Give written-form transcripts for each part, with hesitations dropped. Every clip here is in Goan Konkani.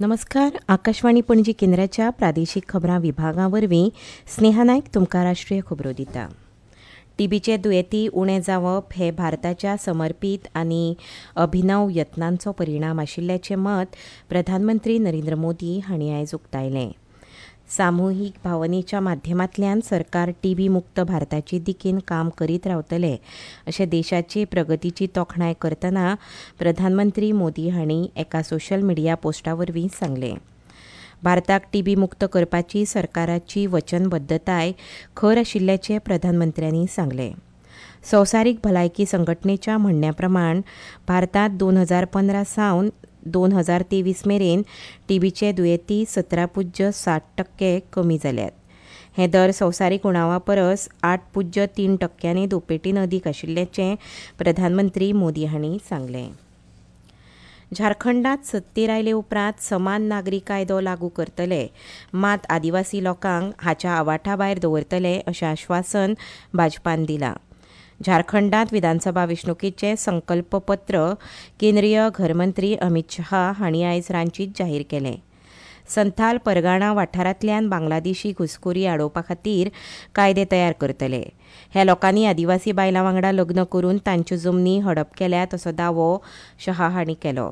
नमस्कार, आकाशवाणी पणजी केंद्राच्या प्रादेशीक खबरां विभागा वरवीं स्नेहा नायक तुमकां राष्ट्रीय खबरो दिता. टीबीचे दुयेंती उणें जावप हे भारताच्या समर्पीत आनी अभिनव यत्नांचो परिणाम आशिल्ल्याचें मत प्रधानमंत्री नरेंद्र मोदी हांणी आयज उक्तायलें. सामुहीक भावनेच्या माध्यमांतल्यान सरकार टीबी मुक्त भारताचे दिकेन काम करीत रावतले अशें देशाचे प्रगतीची तोखणाय करतना प्रधानमंत्री मोदी हांणी एका सोशल मिडिया पोस्टा वरवीं सांगलें. भारताक टीबी मुक्त करपाची सरकाराची वचनबद्दताय खर आशिल्ल्याचें प्रधानमंत्र्यांनी सांगलें. संवसारीक भलायकी संघटनेच्या म्हणण्या प्रमाण भारतांत 2015 सावन 2023 मेरेन टीबीचे दुयेंती 17.7% कमी जाल्यात. हे दर संवसारीक उणावा परस 8.3% दुपेटीन अदीक आशिल्ल्याचें प्रधानमंत्री मोदी हांणी सांगलें. झारखंडात सत्तेर आयले उपरांत समान नागरी कायदो लागू करतले, मात आदिवासी लोकांक हाच्या आवाठा भायर दवरतले अशें आश्वासन भाजपान दिलां. झारखंडात विधानसभा वेंचणुकेचें संकल्पपत्र केंद्रीय घरमंत्री अमित शहा हांणी आयज रांचीत जाहीर केलें. संथाल परगाणा वाठारांतल्यान बांगलादेशी घुसखोरी आडोवपा खातीर कायदे तयार करतले. ह्या लोकांनी आदिवासी बायलां वांगडा लग्न करून तांच्यो जमनी हडप केल्यात असो दावो शहा हांणी केलो.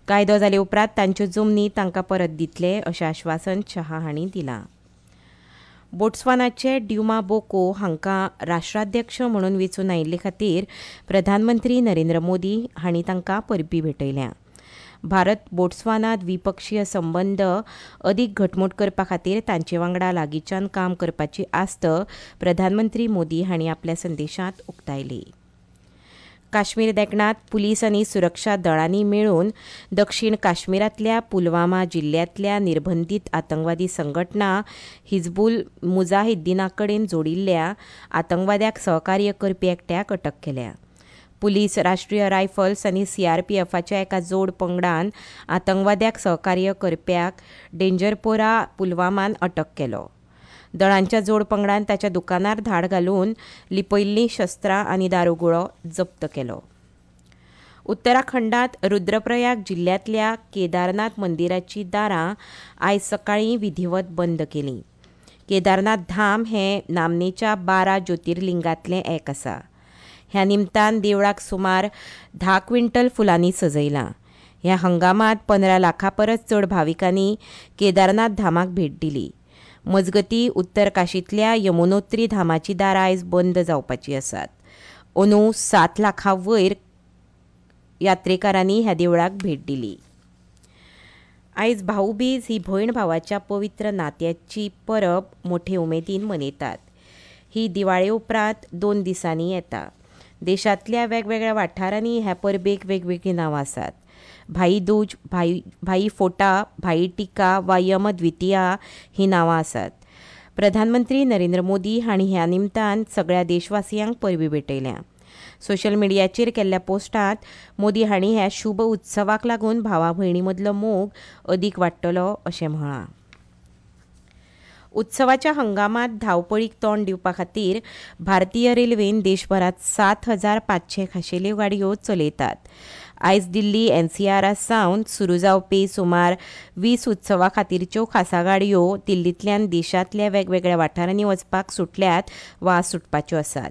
कायदो जाले उपरांत तांच्यो जमनी तांकां परत दितले अशें आश्वासन शहा हांणी दिलां. बोट्सवानाचे ड्युमा बोको हांकां राष्ट्राध्यक्ष म्हणून वेंचून आयिल्ले खातीर प्रधानमंत्री नरेंद्र मोदी हांणी तांकां परबीं भेटयल्या. भारत बोट्सवाना द्विपक्षीय संबंद अदीक घटमूट करपा खातीर तांचे वांगडा लागींच्यान काम करपाची आस्त प्रधानमंत्री मोदी हांणी आपल्या संदेशांत उक्तायली. काश्मीर देगणांत पुलीस आनी सुरक्षा दळांनी मेळून दक्षिण काश्मीरांतल्या पुलवामा जिल्ल्यांतल्या निर्बंधीत आतंकवादी संघटना हिजबुल मुजाहिद्दीना कडेन जोडिल्ल्या आतंकवाद्याक सहकार्य करपी एकट्याक अटक केल्या. पुलीस, राष्ट्रीय रायफल्स आनी सीआरपीएफाच्या एका जोड पंगडान आतंकवाद्याक सहकार्य करप्याक डेंजरपोरा पुलवामान अटक केलो. दळांच्या जोड पंगडान ताच्या दुकानार धाड घालून लिपयिल्लीं शस्त्रां आनी दारुगुळो जप्त केलो. उत्तराखंडात रुद्रप्रयाग जिल्ल्यांतल्या केदारनाथ मंदिराचीं दारां आयज सकाळीं विधिवत बंद केलीं. केदारनाथ धाम हें नामनेच्या 12 ज्योतिर्लिंगांतलें एक आसा. ह्या निमतान देवळाक सुमार 10 क्विंटल फुलांनी सजयलां. ह्या हंगामांत 15 लाखां परस चड भाविकांनी केदारनाथ धामाक भेट दिली. मजगती उत्तर काशींतल्या यमुनोत्री धामाची दारां आयज बंद जावपाची आसात. अंदू 7 लाखां वयर यात्रेकारांनी ह्या देवळाक भेट दिली. आयज भाऊबीज ही भयण भावाच्या पवित्र नात्याची परब मोठे उमेदीन मनयतात. ही दिवाळे उपरांत 2 दिसांनी येता. देशांतल्या वेगवेगळ्या वाठारांनी ह्या परबेक वेगवेगळीं नांवां आसात. भाई दूज, भाई फोटा, भाई टिका वा यम द्वितीया ही नांवां आसात. प्रधानमंत्री नरेंद्र मोदी हांणी ह्या निमतान सगळ्या देशवासियांक परबीं भेटयल्या. सोशल मिडियाचेर केल्ल्या पोस्टांत मोदी हांणी ह्या शुभ उत्सवाक लागून भावा भयणी मदलो मोग अदीक वाडटलो अशें म्हळां. उत्सवाच्या हंगामांत धांवपळीक तोंड दिवपा खातीर भारतीय रेल्वेन देशभरांत 7500 खाशेल्यो गाडयो चलयतात. आयज दिल्ली एनसीआर सावन सुरू जावपी सुमार 20 उत्सवा खातीरच्यो खासा गाडयो दिल्लींतल्यान देशांतल्या वेगवेगळ्या वाठारांनी वचपाक सुटल्यात वा सुटपाच्यो आसात.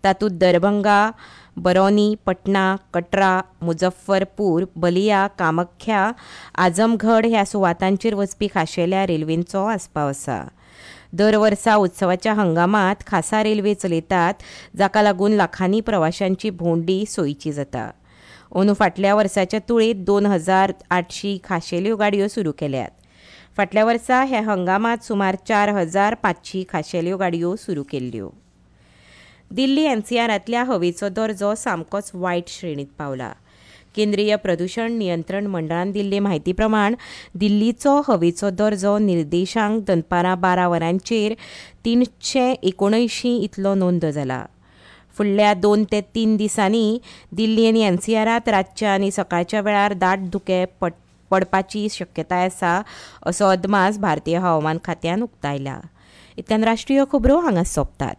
तातूंत दरभंगा, बरौनी, पटना, कटरा, मुजफ्फरपूर, बलिया, कामाख्या, आजमगढ ह्या सुवातांचेर वचपी खाशेल्या रेल्वेंचो आस्पाव आसा. दर वर्सा उत्सवाच्या हंगामांत खासा रेल्वे चलयतात, जाका लागून लाखांनी प्रवाशांची भोंवडी सोयीची जाता. अंदू फाटल्या वर्साच्या तुळेंत 2800 खाशेल्यो गाडयो सुरू केल्यात. फाटल्या वर्सा ह्या हंगामांत सुमार 4500 खाशेल्यो गाडयो सुरू केल्ल्यो. दिल्ली एनसीआरांतल्या हवेचो दर्जो सामकोच वायट श्रेणींत पावला. केंद्रीय प्रदूषण नियंत्रण मंडळान दिल्ले म्हायती प्रमाण दिल्लीचो हवेचो दर्जो निर्देशांक दनपारां 12 वरांचेर 379 इतलो नोंद जाला. फुडल्या 2 ते 3 दिसांनी दिल्ली आनी एनसीआरांत रातच्या आनी सकाळच्या वेळार दाट धुकें पडपाची शक्यताय आसा असो अदमास भारतीय हवामान खात्यान उक्तायला. इतल्यान राष्ट्रीय खबरो हांगा सोंपतात.